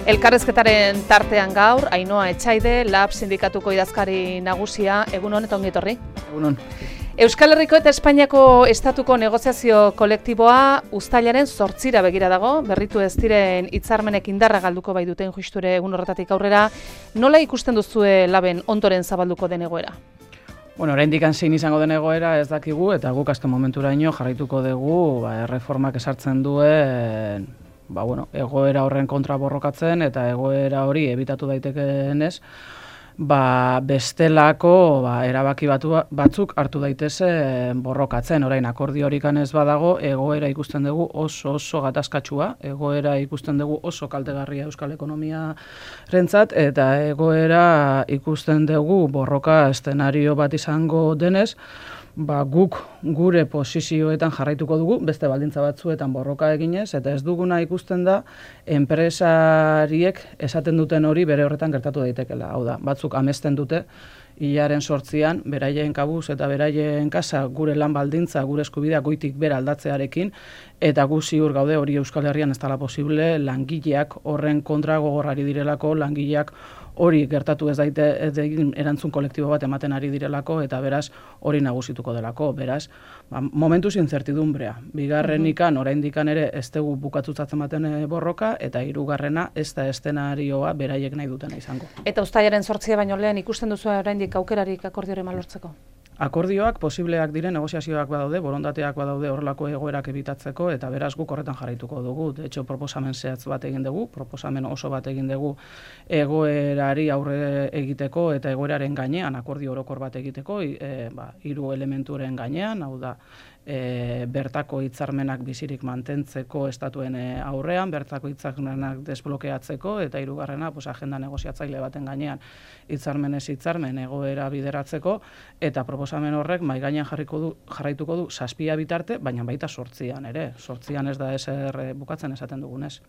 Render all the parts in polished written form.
Elkarrezketaren tartean gaur, Ainhoa Etxaide, LAB sindikatuko idazkari nagusia, egunon eta ongi etorri. Egunon. Euskal Herriko eta Espainiako estatuko negoziazio kolektiboa uztailaren 8 begira dago, berritu ez diren hitzarmenek indarra galduko bai duten justure egun horretatik aurrera. Nola ikusten duzue LABen ondoren zabalduko den egoera? Oraindik zein izango den egoera ez dakigu, eta guk azken momenturaino jarraituko dugu erreformak esartzen duen egoera horren kontra borrokatzen, eta egoera hori ebitatu daitekeenez, bestelako erabaki batzuk hartu daitezen borrokatzen. Orain akordio horik ez badago, egoera ikusten dugu oso gatazkatsua, egoera ikusten dugu oso kaltegarria euskal ekonomiarentzat, eta egoera ikusten dugu borroka eszenario bat izango denez, guk gure posizioetan jarraituko dugu, beste baldintza batzuetan borroka eginez, eta ez duguna ikusten da enpresariek esaten duten hori bere horretan gertatu daitekela. Hau da, batzuk amesten dute, hilaren 8an, beraien kabuz eta beraien kasa gure lan baldintza, gure eskubidea goitik bera aldatzearekin, eta gu ziur gaude hori Euskal Herrian ez dela posible, langileak horren kontra gogorrari direlako, langileak hori gertatu ez daite erantzun kolektibo bat ematen ari direlako, eta beraz hori nagusituko delako. Beraz, momentuz incertidumbrea. Bigarrenikan, oraindikan ere ez dugu bukatutzatzen baten borroka, eta hirugarrena ez da eszenarioa beraiek nahi dutena izango. Eta uztailaren 8 baino lehen ikusten duzu oraindik aukerarik akordioren lortzeko? Akordioak posibleak diren, negoziazioak badaude, borondateak badaude horrelako egoerak ebitatzeko, eta beraz guk horretan jarraituko dugu. De hecho, proposamen zehatz bat egin dugu, proposamen oso bat egin dugu egoerari aurre egiteko eta egoeraren gainean akordio orokor bat egiteko, 3 elementuren gainean, hau da, bertako hitzarmenak bizirik mantentzeko estatuen aurrean, bertako hitzarmenak desblokeatzeko, eta hirugarrena agenda negoziatzaile baten gainean hitzarmenez hitzarmen egoera bideratzeko, eta proposamen horrek mahai gainean jarraituko du 7 bitarte, baina baita 8an ere. 8an ez da ezer bukatzen esaten dugunez.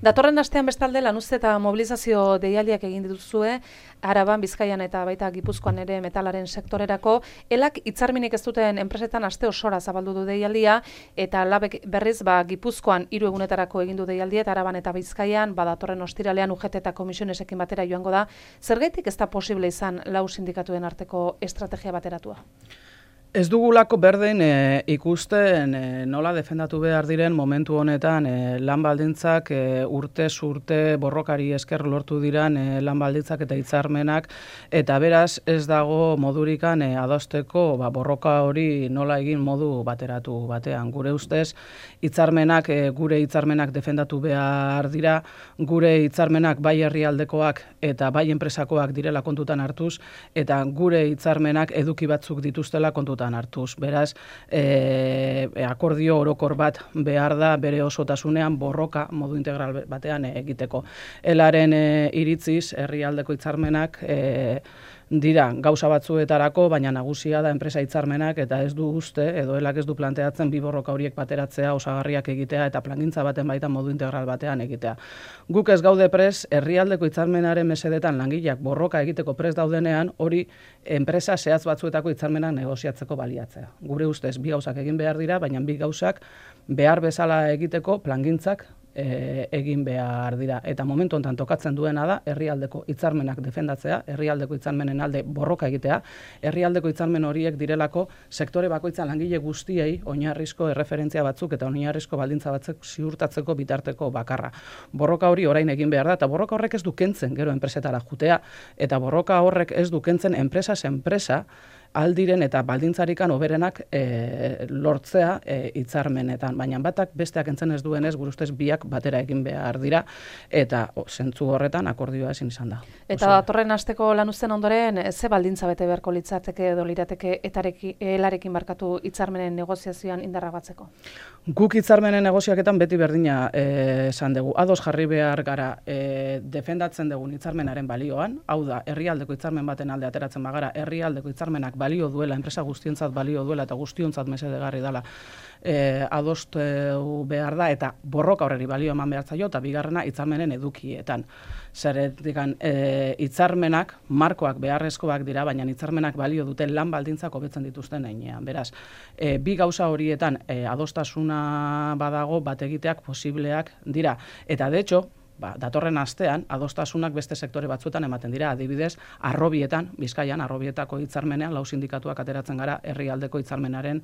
Datorren astean bestalde lanuzte eta mobilizazio deialdiak egin dituzue, Araban, Bizkaian eta baita Gipuzkoan ere metalaren sektorerako. Elak hitzarmenik ez duten enpresetan aste osora zabaldu du deialdia, eta LABek berriz Gipuzkoan 3 egunetarako egin du deialdia, eta Araban eta Bizkaian datorren ostiralean UGT eta komisionesekin batera joango da. Zergaitik ez da posible izan lau sindikatuen arteko estrategia bateratua? Ez dugulako berdin ikusten nola defendatu behar diren momentu honetan lan baldintzak urtez urte borrokari esker lortu diran lan baldintzak eta hitzarmenak, eta beraz ez dago modurikan adosteko borroka hori nola egin modu bateratu batean. Gure ustez hitzarmenak, gure hitzarmenak defendatu behar dira, gure hitzarmenak bai herrialdekoak eta bai enpresakoak direla kontutan hartuz, eta gure hitzarmenak eduki batzuk dituztela kontutan hartuz. Beraz, akordio orokor bat behar da bere osotasunean borroka modu integral batean egiteko. Elaren iritziz, herrialdeko hitzarmenak dira gauza batzuetarako, baina nagusia da enpresa hitzarmenak, eta ez du uste, edo elak ez du planteatzen bi borroka horiek bateratzea, osagarriak egitea, eta plangintza baten baita modu integral batean egitea. Guk ez gaude pres, herrialdeko hitzarmenaren mesedetan langileak borroka egiteko pres daudenean, hori enpresa zehatz batzuetako hitzarmenak negoziatzeko baliatzea. Gure ustez, bi gauzak egin behar dira, baina bi gauzak behar bezala egiteko plangintzak egin behar dira. Eta momentu honetan tokatzen duena da herrialdeko hitzarmenak defendatzea, herrialdeko hitzarmenen alde borroka egitea, herrialdeko hitzarmen horiek direlako sektore bakoitzan langile guztiei oinarrizko erreferentzia batzuk eta oinarrizko baldintza batzuk ziurtatzeko bitarteko bakarra. Borroka hori orain egin behar da, eta borroka horrek ez du kentzen gero enpresetara jutea, eta borroka horrek ez du kentzen enpresa aldiren eta baldintzarikan hoberenak lortzea hitzarmenetan, baina batak besteak entzen ez duenez, gure ustez biak batera egin behar dira, eta zentzu horretan akordioa ezin izan da. Eta datorren asteko lanuzten ondoren, ze baldintza bete beharko litzateke edo lirateke elarekin barkatu hitzarmenen negoziazioan indarra batzeko? Guk hitzarmenen negoziaketan beti berdina esan dugu. Ados jarri behar gara defendatzen dugun hitzarmenaren balioan, hau da, herrialdeko hitzarmen baten alde ateratzen bagara, herrialdeko hitzarmenak balio duela, enpresa guztiontzat balio duela eta guztiontzat mesedegarri dela adostu behar da, eta borroka horreri balio eman behar zaio, eta bigarrena hitzarmenen edukietan. Zeretikan hitzarmenak, markoak beharrezkoak dira, baina hitzarmenak balio duten lan baldintzak hobetzen dituzten heinean. Beraz, bi gauza horietan adostasuna badago bat egiteak posibleak dira. Eta de hecho, datorren astean, adostasunak beste sektore batzuetan ematen dira, adibidez, Harrobietan, Bizkaian, Harrobietako hitzarmenean, 4 sindikatuak ateratzen gara herrialdeko hitzarmenaren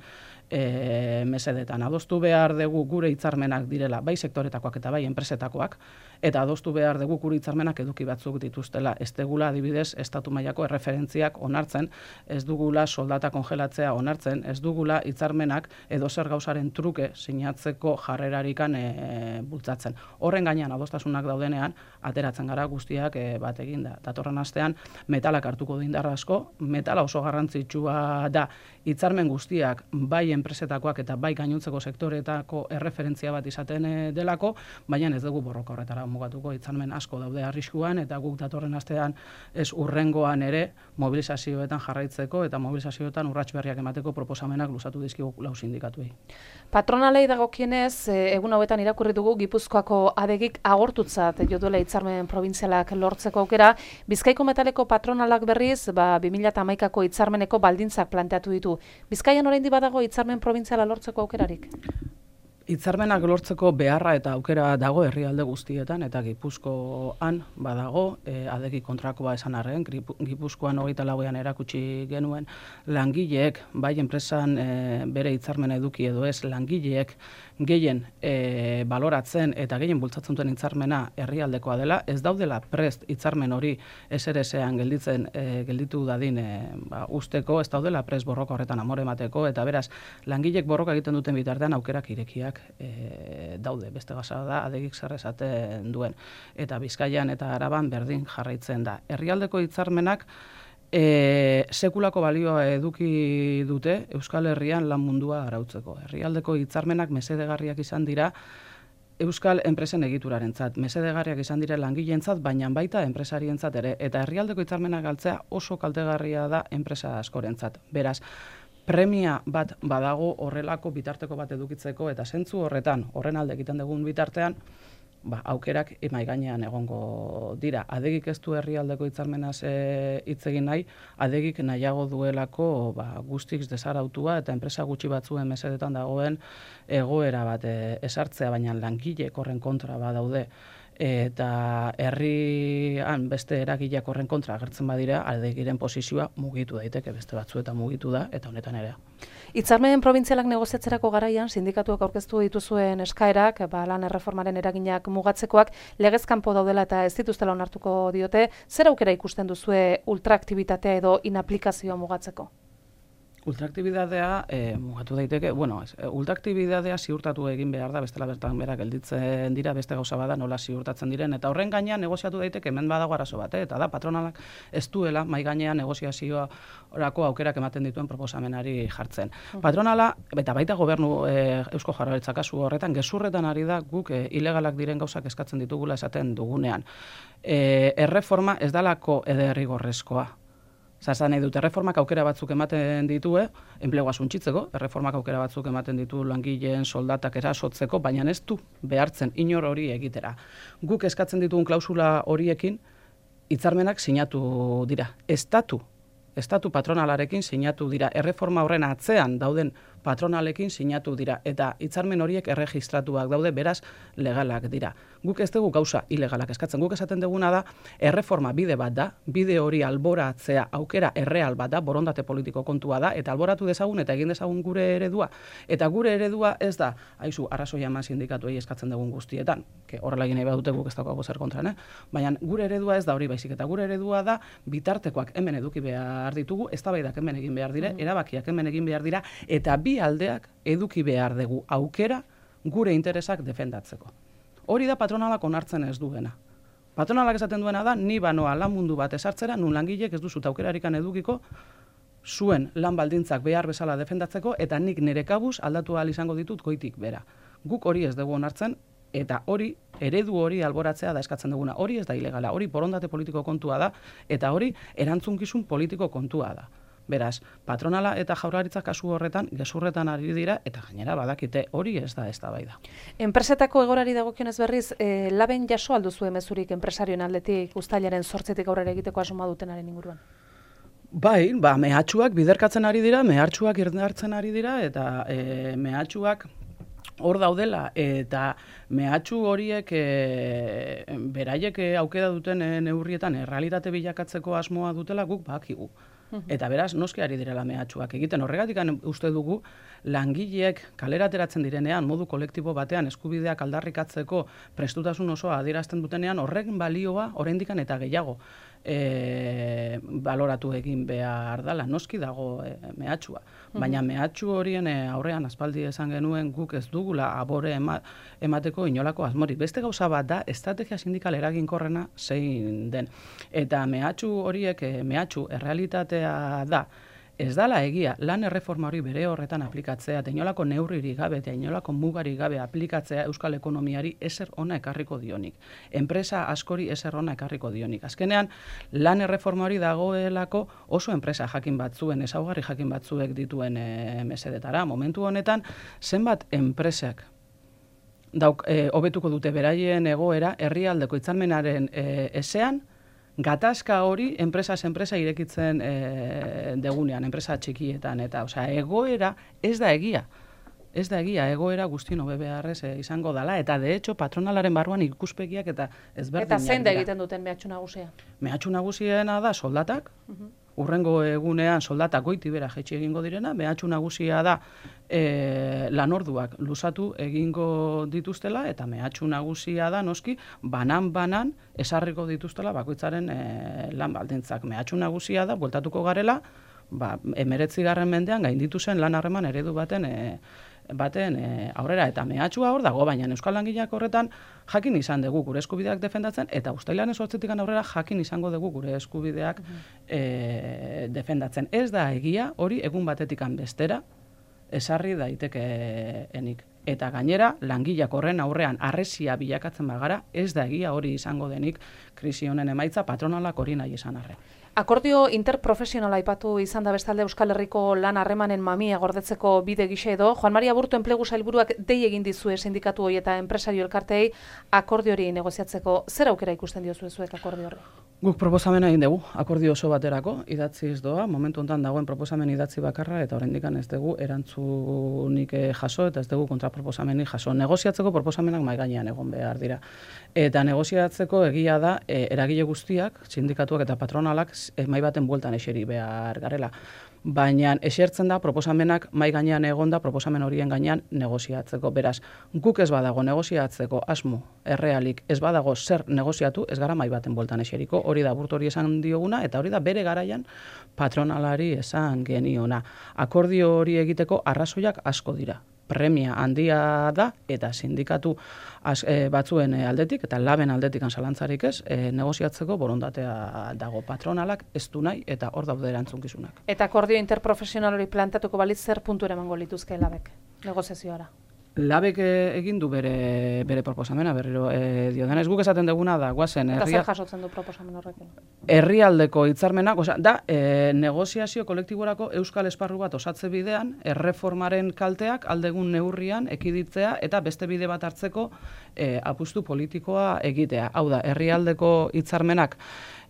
mesedetan. Adostu behar dugu gure hitzarmenak direla, bai sektoretakoak eta bai enpresetakoak, eta adostu behar dugu gure hitzarmenak eduki batzuk dituztela. Ez dugula, adibidez, estatu mailako erreferentziak onartzen, ez dugula soldata kongelatzea onartzen, ez dugula hitzarmenak edo zer gauzaren truke sinatzeko jarrerarikan bultzatzen. Horren gainean adostasunak daudenean, ateratzen gara guztiak bat egin da. Datorren astean, metalak hartuko du indar asko, metala oso garrantzitsua da, hitzarmen guztiak bai enpresetakoak eta bai gainontzeko sektoretako erreferentzia bat izaten delako, baina ez dugu borroka horretara mugatuko, hitzarmen asko daude arriskuan, eta guk datorren astean ez urrengoan ere mobilizazioetan jarraitzeko eta mobilizazioetan urrats berriak emateko proposamenak luzatu dizkigu 4 sindikatuei. Patronalei dagokienez, egun hauetan irakurri dugu Gipuzkoako adegik agortutzat jo duela hitzarmen probintzialak lortzeko aukera. Bizkaiko metaleko patronalak berriz, 2011ko hitzarmeneko baldintzak planteatu ditu. Bizkaian oraindik badago hitzarmen probintziala lortzeko aukerarik? Hitzarmenak lortzeko beharra eta aukera dago herrialde guztietan, eta Gipuzkoan badago, adegi kontrakoa esan arren, Gipuzkoan 24ean erakutsi genuen langileek, bai enpresan bere hitzarmena eduki edo ez, langileek gehien baloratzen eta gehien bultzatzen duen hitzarmena herrialdekoa dela, ez daudela prest hitzarmen hori SRS-ean gelditu dadin usteko, ez daudela prest borroka horretan amore emateko, eta beraz, langileek borroka egiten duten bitartean aukerak irekiak daude, beste gauza da adegik zer esaten duen, eta Bizkaian eta Araban berdin jarraitzen da. Herrialdeko hitzarmenak sekulako balioa eduki dute Euskal Herrian lan mundua arautzeko. Herrialdeko hitzarmenak mesedegarriak izan dira Euskal enpresen egiturarentzat, mesedegarriak izan dira langileentzat, baina baita enpresarientzat ere, eta herrialdeko hitzarmenak galtzea oso kaltegarria da enpresa askorentzat. Beraz, premia bat badago horrelako bitarteko bat edukitzeko, eta zentzu horretan, horren alde egiten dugun bitartean, aukerak mahai gainean egongo dira. Adegik ez du herrialdeko hitzarmenaz hitz egin nahi, adegik nahiago duelako guztiz desarautua eta enpresa gutxi batzuen mesedetan dagoen egoera bat esartzea, baina langileek horren kontra badaude, eta herrian beste eragileak horren kontra agertzen badira, adegiren posizioa mugitu daiteke, beste batzuetan mugitu da, eta honetan ere. Hitzarmen probintzialak negoziatzerako garaian, sindikatuak aurkeztu dituzuen eskaerak, lan erreformaren eraginak mugatzekoak, legez kanpo daudela eta ez dituztela onartuko diote, zer aukera ikusten duzue ultraaktibitatea edo inaplikazioa mugatzeko? Ultraaktibitatea mugatu daiteke, ultraaktibitatea ziurtatu egin behar da, bestela bertan berak gelditzen dira, beste gauza bada nola ziurtatzen diren, eta horren gainean negoziatu daiteke hemen badago arazo bat, eta da patronalak ez duela mai gainean negoziaziorako aukerak ematen dituen proposamenari jartzen. Patronala, eta baita gobernu Eusko Jaurlaritza kasu horretan, gezurretan ari da guk ilegalak diren gauzak eskatzen ditugula esaten dugunean. Erreforma ez dalako ederrigorrezkoa. Zazan nahi dut, erreformak aukera batzuk ematen ditue, enplegua suntsitzeko, erreformak aukera batzuk ematen ditu langileen soldatak erasotzeko, baina ez du behartzen inor hori egitera. Guk eskatzen ditugun klausula horiekin, hitzarmenak sinatu dira. Estatu patronalarekin sinatu dira. Erreforma horren atzean dauden patronalekin sinatu dira. Eta hitzarmen horiek erregistratuak daude, beraz legalak dira. Guk ez dugu gauza ilegalak eskatzen. Guk esaten duguna da, erreforma bide bat da, bide hori alboratzea aukera erreal bat da, borondate politiko kontua da, eta alboratu dezagun eta egin dezagun gure eredua. Eta gure eredua ez da, haizu, arrazoia eman sindikatuei eskatzen dugun guztietan, horrela egin nahi badute guk ez daukago zer kontran, baina gure eredua ez da hori baizik, eta gure eredua da bitartekoak hemen eduki behar ditugu, eztabaidak hemen egin behar dire, erabakiak hemen egin behar dira, eta bi aldeak eduki behar dugu aukera gure interesak defendatzeko. Hori da patronalak onartzen ez duena. Patronalak esaten duena da, ni banoa lan mundu bat esartzera, nun langilek ez duzut aukerarikan edukiko, zuen lan baldintzak behar bezala defendatzeko, eta nik nire kabuz aldatu ahal izango ditut goitik bera. Guk hori ez dugu onartzen, eta hori, eredu hori alboratzea da eskatzen duguna. Hori ez da ilegala, hori borondate politiko kontua da, eta hori erantzunkizun politiko kontua da. Beraz, patronala eta Jaurlaritza kasu horretan gezurretan ari dira, eta gainera badakite hori ez da eztabaida. Enpresetako egorari dagokionez berriz, laben jaso alduzue mezurik enpresarioen aldetik uztailaren 8tik aurrera egiteko asmoa dutenaren inguruan? Bai, mehatxuak biderkatzen ari dira, mehatxuak irdartzen ari dira, eta mehatxuak hor daudela, eta mehatxu horiek beraiek aukera duten neurrietan errealitate bilakatzeko asmoa dutela guk bakigu. Eta beraz, noski ari direla mehatxuak egiten. Horregatik uste dugu, langileek kalera ateratzen direnean, modu kolektibo batean eskubideak aldarrikatzeko prestutasun osoa adierazten dutenean, horrek balioa oraindikan eta gehiago baloratu egin behar dela. Noski dago mehatxua. Baina mehatxu horien aurrean aspaldi esan genuen guk ez dugula abore emateko inolako asmorik. Beste gauza bat da, estrategia sindikal eraginkorrena zein den. Eta mehatxu horiek, mehatxu errealitatea da, ez dala egia, lan erreforma hori bere horretan aplikatzea, eta inolako neurririk gabe, eta inolako mugarik gabe aplikatzea euskal ekonomiari ezer ona ekarriko dionik. Enpresa askori ezer ona ekarriko dionik. Azkenean, lan erreforma hori dagoelako oso enpresa jakin batzuen, ezaugarri jakin batzuek dituen mesedetara. Momentu honetan, zenbat enpresak hobetuko dute beraien egoera herrialdeko hitzarmenaren ezean, gatazka hori enpresa irekitzen degunean, enpresa txikietan, eta egoera ez da egia. Ez da egia, egoera guztien hobe beharrez izango dela, eta de hecho patronalaren barruan ikuspegiak eta ezberdinak dira. Eta zein da egiten duten mehatxu nagusia? Mehatxu nagusiena da soldatak, urrengo egunean soldatak goiti bera jaitsi egingo direna, mehatxu nagusia da lanorduak luzatu egingo dituztela, eta mehatxu nagusia da noski banan esarriko dituztela bakoitzaren lan baldintzak. Mehatxu nagusia da, bueltatuko garela, 19. mendean gainditu zen lan harreman eredu baten aurrera, eta mehatxua hor dago, baina euskal langileak horretan jakin izan dugu gure eskubideak defendatzen, eta uztailaren 8. aurrera jakin izango dugu gure eskubideak defendatzen. Ez da egia hori egun batetikan bestera esarri daitekeenik. Eta gainera, langileak horren aurrean harresia bilakatzen bagara, ez da egia hori izango denik krisi honen emaitza patronalak hori nahi izan arren. Akordio interprofesionala aipatu izan da bestalde Euskal Herriko lan harremanen mamia gordetzeko bide gisa edo. Joan Maria Aburto enplegu sailburuak dei egin dizue sindikatu hori eta enpresario elkarteei akordio hori negoziatzeko. Zer aukera ikusten diozue zuek akordio horri? Guk proposamena egin dugu, akordio oso baterako, idatziz doa, momentu honetan dagoen proposamen idatzi bakarra, eta oraindikan ez dugu erantzunik jaso, eta ez dugu kontraproposamenik jaso. Negoziatzeko proposamenak mahai gainean egon behar dira. Eta negoziatzeko egia da, eragile guztiak, sindikatuak eta patronalak, mahai baten bueltan eseri behar garela. Baina esertzen da proposamenak mahai gainean egonda proposamen horien gainean negoziatzeko. Beraz, guk ez badago negoziatzeko asmo errealik, ez badago zer negoziatu, ez gara mahai baten bueltan eseriko. Hori da Aburto hori esan dioguna, eta hori da bere garaian patronalari esan geniona. Akordio hori egiteko arrazoiak asko dira. Premia handia da, eta sindikatu batzuen aldetik, eta laben aldetik zalantzarik ez, negoziatzeko borondatea dago. Patronalak ez du nahi, eta hor daude erantzunkizunak. Eta akordio interprofesional hori plantatuko balitz zer puntu emango lituzke labek negoziazioara? Labek egin du bere proposamena, berriro diodenez, guk esaten duguna da, guazen... Eta zer jasotzen du proposamen horrekin? Herrialdeko hitzarmenak, da, negoziazio kolektiborako euskal esparru bat osatze bidean, erreformaren kalteak aldegun neurrian ekiditzea eta beste bide bat hartzeko apustu politikoa egitea. Hau da, herrialdeko hitzarmenak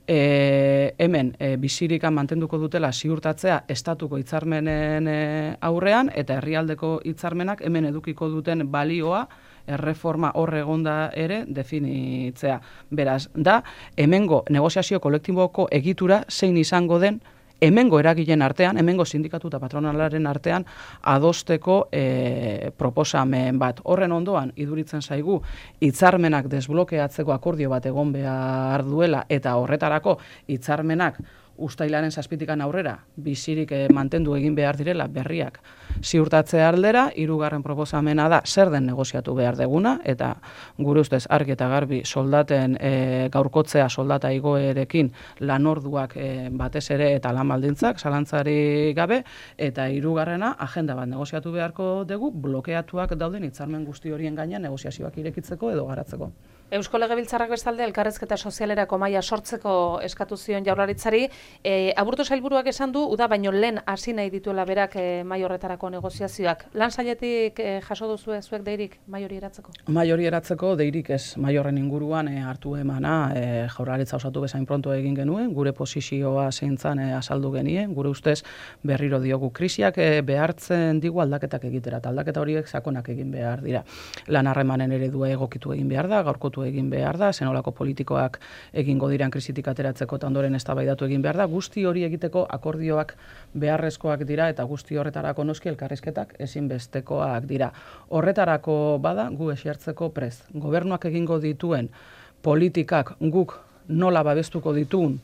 hemen bizirikan mantenduko dutela ziurtatzea estatuko hitzarmenen aurrean, eta herrialdeko hitzarmenak hemen edukiko duten balioa erreforma horre egonda ere definitzea. Beraz, da, hemengo negoziazio kolektiboko egitura zein izango den hemengo eragileen artean, hemengo sindikatu eta patronalaren artean adosteko proposamen bat. Horren ondoan, iduritzen zaigu, hitzarmenak desblokeatzeko akordio bat egon behar duela, eta horretarako hitzarmenak uztailaren 7 aurrera bizirik mantendu egin behar direla berriak ziurtatzea aldera. 3. proposamena da zer den negoziatu behar deguna, eta gure ustez argi eta garbi soldaten gaurkotzea soldata igoerekin lanorduak batez ere eta lan baldintzak zalantzari gabe, eta 3. agenda bat negoziatu beharko dugu blokeatuak dauden hitzarmen guzti horien gainean negoziazioak irekitzeko edo garatzeko. Eusko Legebiltzarrak bestalde elkarrezketa sozialerako mahaia sortzeko eskatu zion Jaurlaritzari. Aburto sailburuak esan du uda baino lehen hasi nahi dituela berak mahai horretarako negoziazioak. Lan sailetik jaso duzue zuek deirik mahai hori eratzeko? Mahai hori eratzeko deirik ez, mahai horren inguruan hartu emana Jaurlaritza osatu bezain pronto egin genuen, gure posizioa zeintzan azaldu genien, gure ustez berriro diogu krisiak behartzen digu aldaketak egitera, eta aldaketa horiek sakonak egin behar dira. Lan harremanen eredua egokitu egin behar da, gaurkotu egin behar da, zenolako politikoak egingo diran krisitik ateratzeko eta ondoren eztabaidatu egin behar da, guzti hori egiteko akordioak beharrezkoak dira eta guzti horretarako noski elkarrizketak ezinbestekoak dira. Horretarako bada gu esertzeko prest. Gobernuak egingo dituen politikak guk nola babestuko ditun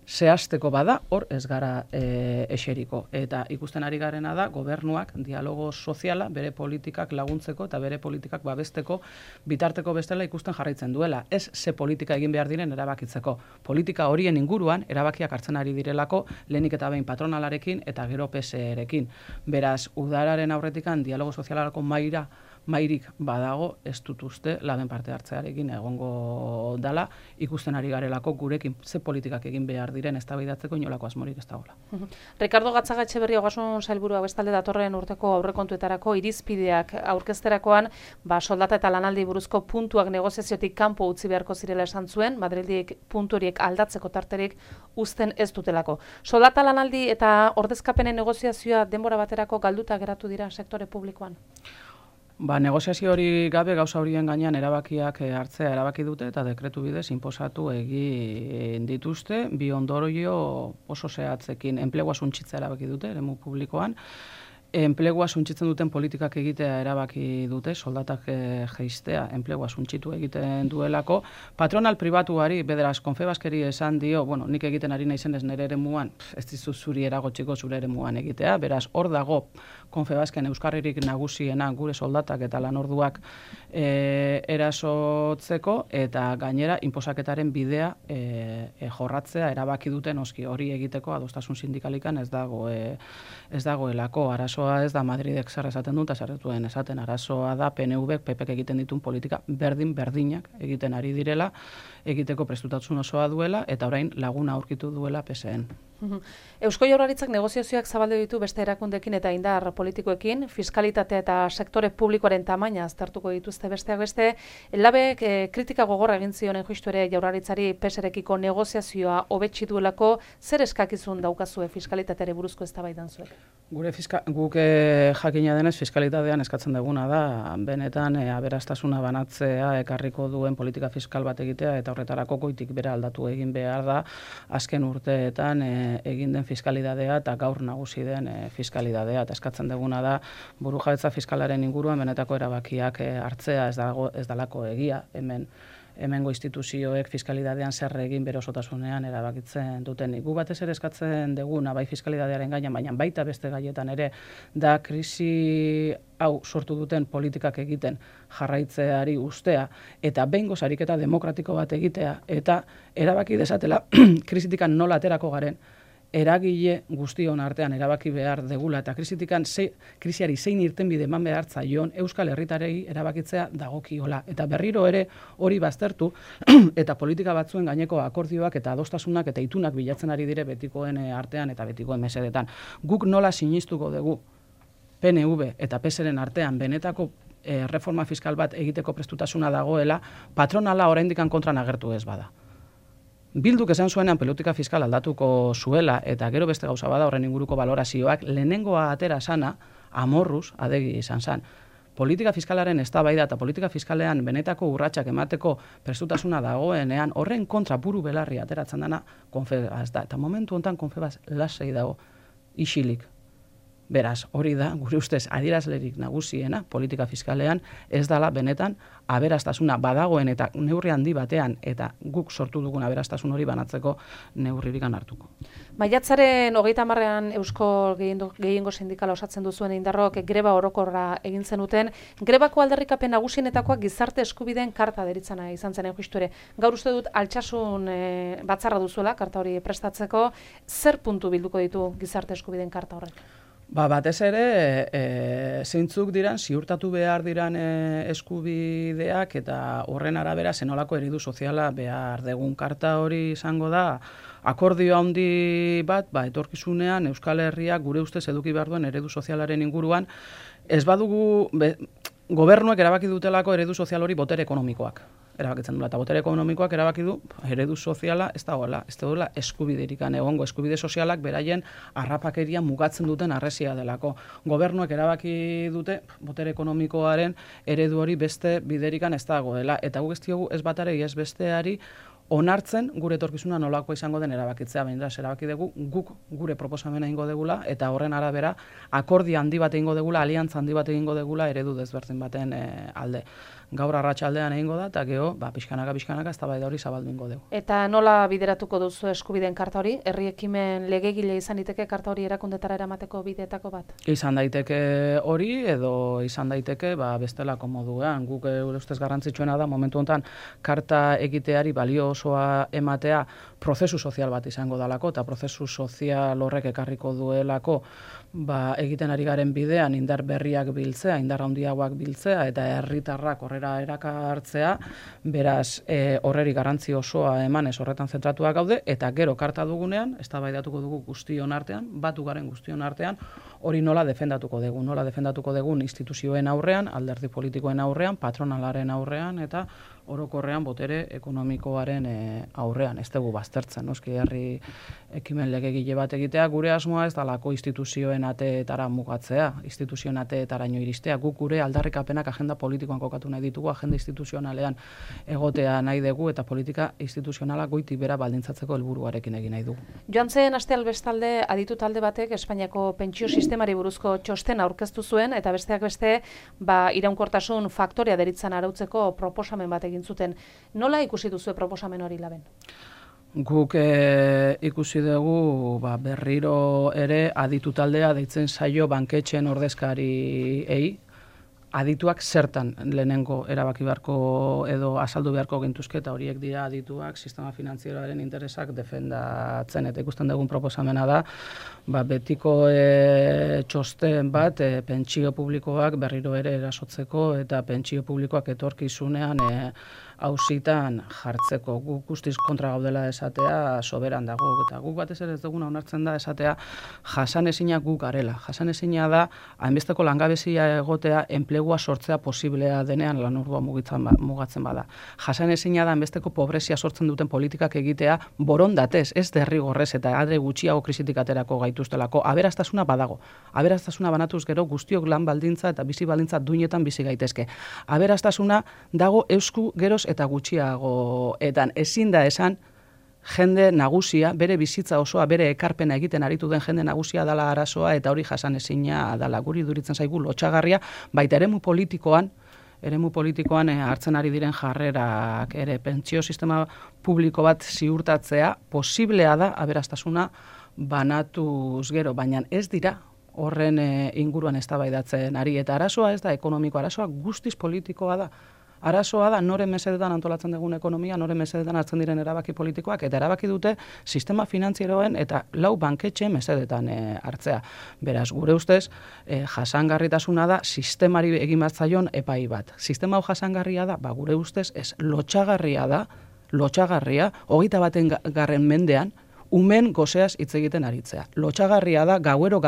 zehazteko bada, hor ez gara eseriko. Eta ikusten ari garena da, gobernuak dialogo soziala bere politikak laguntzeko eta bere politikak babesteko bitarteko bestela ikusten jarraitzen duela. Ez ze politika egin behar diren erabakitzeko. Politika horien inguruan erabakiak hartzen ari direlako lehenik eta behin patronalarekin eta gero PSE-rekin. Beraz, udararen aurretikan dialogo sozialarako mairik badago, ez dut uste laben parte hartzearekin egongo dala, ikusten ari garelako gurekin ze politikak egin behar diren eztabaidatzeko inolako asmorik ez dagoela. Ricardo Gatzagetxeberria Ogasun sailburua bestalde datorren urteko aurrekontuetarako irizpideak aurkezterakoan, soldata eta lanaldi buruzko puntuak negoziaziotik kanpo utzi beharko zirela esan zuen, Madrildik puntu horiek aldatzeko tarterik uzten ez dutelako. Soldata lanaldi eta ordezkapenen negoziazioa denbora baterako galduta geratu dira sektore publikoan. Negoziazio hori gabe gauza horien gainean erabakiak hartzea erabaki dute eta dekretu bidez inposatu egin dituzte, bi ondorio oso zehatzekin enplegua suntsitzea erabaki dute eremu publikoan. Enplegua suntsitzen duten politikak egitea erabaki dute, soldatak jeistea enplegua suntsitu egiten duelako. Patronal pribatuari, bederaz, Confebaskeri esan dio, nik egiten ari naizenez nire eremuan, ez dizu zuri eragotxiko zure eremuan egitea, beraz, hor dago Confebasken euskarririk nagusiena gure soldatak eta lanorduak erasotzeko, eta gainera, inposaketaren bidea jorratzea erabaki duten oski hori egiteko adostasun sindikalikan ez dagoelako arazo. Ez da Madridek zer esaten dut, zer duen esaten arazoa da PNV-ek PPek egiten dituen politika berdinak egiten ari direla, egiteko prestutasun osoa duela, eta orain laguna aurkitu duela PSN. Eusko Jaurlaritzak negoziazioak zabaldu ditu beste erakundeekin eta indar politikoekin, fiskalitatea eta sektore publikoaren tamaina aztertuko dituzte besteak beste. Labek kritika gogorra egin zionen justu ere Jaurlaritzari PSrekiko negoziazioa hobetsi duelako, zer eskakizun daukazue fiskalitateari buruzko eztabaidan zuek? Guk jakina denez fiskalitatean eskatzen duguna da, benetan aberastasuna banatzea ekarriko duen politika fiskal bat egitea eta horretarako goitik bera aldatu egin behar da azken urteetan egin den fiskalidadea eta gaur nagusi den fiskalidadea. Eta eskatzen duguna da burujabetza fiskalaren inguruan benetako erabakiak hartzea ez dalako egia hemengo instituzioek fiskalidadean zer egin bere osotasunean erabakitzen duten. Gu batez ere eskatzen duguna bai fiskalidadearen gainean, baina baita beste gaietan ere da krisi hau sortu duten politikak egiten jarraitzeari ustea eta behingoz ariketa demokratiko bat egitea eta erabaki desatela krisitikan nola aterako garen eragile guztion artean erabaki behar degula eta krisiari zein irtenbide eman behar zaion Euskal Herritarrei erabakitzea dagokiola. Eta berriro ere hori baztertu eta politika batzuen gaineko akordioak eta adostasunak eta itunak bilatzen ari dire betikoen artean eta betikoen mesedetan. Guk nola sinistuko dugu PNV eta PSren artean benetako reforma fiskal bat egiteko prestutasuna dagoela, patronala oraindik kontran agertu ez bada. Bilduk esan zuenean politika fiskal aldatuko zuela eta gero beste gauza bada horren inguruko valorazioak lehenengoa atera sana amorruz adegi izan zen. Politika fiskalaren eztabaida eta politika fiskalean benetako urratsak emateko prestutasuna dagoenean horren kontra buru belarri ateratzen dana Confebas da. Eta momentu honetan Confebas lasai dago isilik. Beraz, hori da, gure ustez, adierazlerik nagusiena politika fiskalean ez dala benetan aberastasuna badagoen eta neurri handi batean eta guk sortu dugun aberastasun hori banatzeko neurririk hartuko. Maiatzaren 30ean Eusko Gehiengo Sindikala osatzen duzuen indarrok greba orokorra egin zenuten. Grebako aldarrikapen nagusienetakoak gizarte eskubideen karta deritzana izan zen justu ere. Gaur uste dut altsasun batzarra duzuela karta hori prestatzeko. Zer puntu bilduko ditu gizarte eskubideen karta horrek? Batez ere, zeintzuk diran, ziurtatu behar diran eskubideak eta horren arabera zenolako eredu soziala behar degun. Karta hori izango da, akordio handi bat, etorkizunean Euskal Herriak gure ustez eduki behar duen eredu sozialaren inguruan, ez badugu, gobernuek erabaki dutelako eredu sozial hori botere ekonomikoak. Erabakitzen duela, eta botere ekonomikoak erabaki du eredu soziala ez dagoela, ez dagoela eskubiderikan egongo, eskubide sozialak beraien harrapakeria mugatzen duten harresia delako. Gobernuek erabaki dute botere ekonomikoaren eredu hori beste biderikan ez dagoela, eta guk ez diogu ez batare ez besteari onartzen gure etorkizuna nolakoa izango den erabakitzea, baina erabaki dugu guk gure proposamena egingo degula eta horren arabera akordio handi bat egingo degula, aliantza handi bat egingo degula eredu desberdin baten alde. Gaur arratsaldean egingo da eta gero pixkanaka eztabaida hori zabaldu egingo dugu. Eta nola bideratuko duzu eskubideen karta hori? Herri ekimen legegile izan daiteke karta hori erakundetara eramateko bideetako bat? Izan daiteke hori edo izan daiteke bestelako moduan. Guk ustez garrantzitsuena da momentu honetan karta egiteari balio osoa ematea prozesu sozial bat izango dalako eta prozesu sozial horrek ekarriko duelako egiten ari garen bidean indar berriak biltzea, indar handiagoak biltzea eta herritarrak horrera erakartzea, beraz horreri garrantzi osoa emanez horretan zentratuak gaude eta gero karta dugunean, eztabaidatuko dugu guztion artean, batu garen guztion artean, hori nola defendatuko dugun instituzioen aurrean, alderdi politikoen aurrean, patronalaren aurrean eta orokorrean botere ekonomikoaren aurrean. Ez dugu baztertzen, noski herri ekimen legegile bat egitea, gure asmoa ez dalako instituzioen ateetara mugatzea, instituzioen ateetaraino iristea, guk gure aldarrikapenak agenda politikoan kokatu nahi ditugu, agenda instituzionalean egotea nahi dugu eta politika instituzionala goitik bera baldintzatzeko helburuarekin egin nahi dugu. Joan zen aste albestalde aditu talde batek Espainiako pentsio sistemari buruzko txosten aurkeztu zuen eta besteak beste iraunkortasun faktorea deritzan arautzeko proposamen bat egin zuten. Nola ikusi duzu proposamen hori Laben? Guk ikusi dugu berriro ere aditu taldea deitzen zaio banketxeen ordezkariei, adituak zertan lehenengo erabaki beharko edo azaldu beharko gintuzke eta horiek dira adituak sistema finantzieroaren interesak defendatzen eta ikusten dugun proposamena da betiko txosten bat pentsio publikoak berriro ere erasotzeko eta pentsio publikoak etorkizunean auzitan jartzeko. Guk guztiz kontra gaudela esatea soberan dago eta guk batez ere ez duguna onartzen da esatea jasanezina guk garela. Jasanezina da hainbesteko langabezia egotea enplegua sortzea posiblea denean lanordua mugatzen bada. Jasanezina da hainbesteko pobrezia sortzen duten politikak egitea borondatez, ez derrigorrez eta adre gutxiago krisitik aterako gaituztelako. Aberastasuna badago. Aberastasuna banatuz gero guztiok lan baldintza eta bizi baldintza duinetan bizi gaitezke. Aberastasuna dago eusku geroz eta gutxiagoetan. Ezin da esan jende nagusia, bere bizitza osoa, bere ekarpena egiten aritu den jende nagusia dala arazoa eta hori jasanezina dala. Guri duritzen zaigu lotsagarria, baita eremu politikoan hartzen ari diren jarrerak ere pentsio sistema publiko bat ziurtatzea posiblea da aberastasuna banatuz gero, baina ez dira horren inguruan eztabaidatzen ari eta arazoa ez da ekonomiko, arazoa guztiz politikoa da. Arazoa da noren mesedetan antolatzen dugun ekonomia, noren mesedetan hartzen diren erabaki politikoak eta erabaki dute sistema finantzieroen eta lau banketxe mesedetan hartzea. Beraz, gure ustez, jasangarritasuna da sistemari egin bat zaion epai bat. Sistema hau jasangarria da, gure ustez, ez lotsagarria da, 21. mendean, umen gozeaz hitz egiten aritzea. Lotsagarria da, gauero,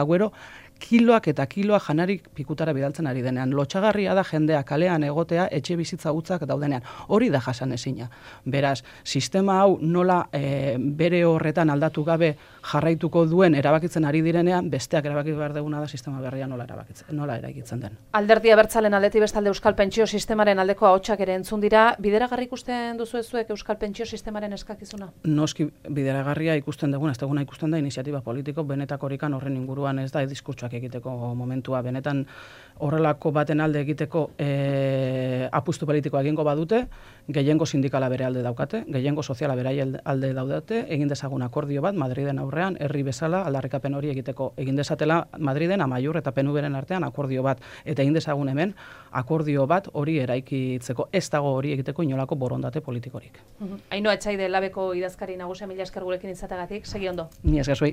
kiloak eta kiloak janarik pikutara bidaltzen ari denean. Lotsagarria da jendea kalean egotea etxe bizitza hutzak daudenean. Hori da jasanezina. Beraz, sistema hau nola bere horretan aldatu gabe jarraituko duen erabakitzen ari direnean, besteak erabaki behar duguna da sistema berria nola eraikitzen den. Alderdi abertzalen aldetik bestalde Euskal Pentsio Sistemaren aldeko ahotsak ere entzun dira. Bideragarri ikusten duzu zuek Euskal Pentsio Sistemaren eskakizuna? Noski bideragarria ikusten duguna, ez duguna ikusten da iniziatiba politiko benetakorikan horren inguruan ez da diskurtsoak egiteko momentua, benetan horrelako baten alde egiteko apustu politikoa egingo badute, gehiengo sindikala bere alde daukate, gehiengo soziala bere alde daudate, egin dezagun akordio bat Madriden aurrean, herri bezala aldarrikapen hori egiteko, egin dezatela Madriden Amaiur eta PNVren artean akordio bat, eta egin dezagun hemen akordio bat hori eraikitzeko, ez dago hori egiteko inolako borondate politikorik. Ainhoa Etxaide Labeko idazkari nagusia, mila esker gurekin izateagatik, segi ondo. Ni esker zuei.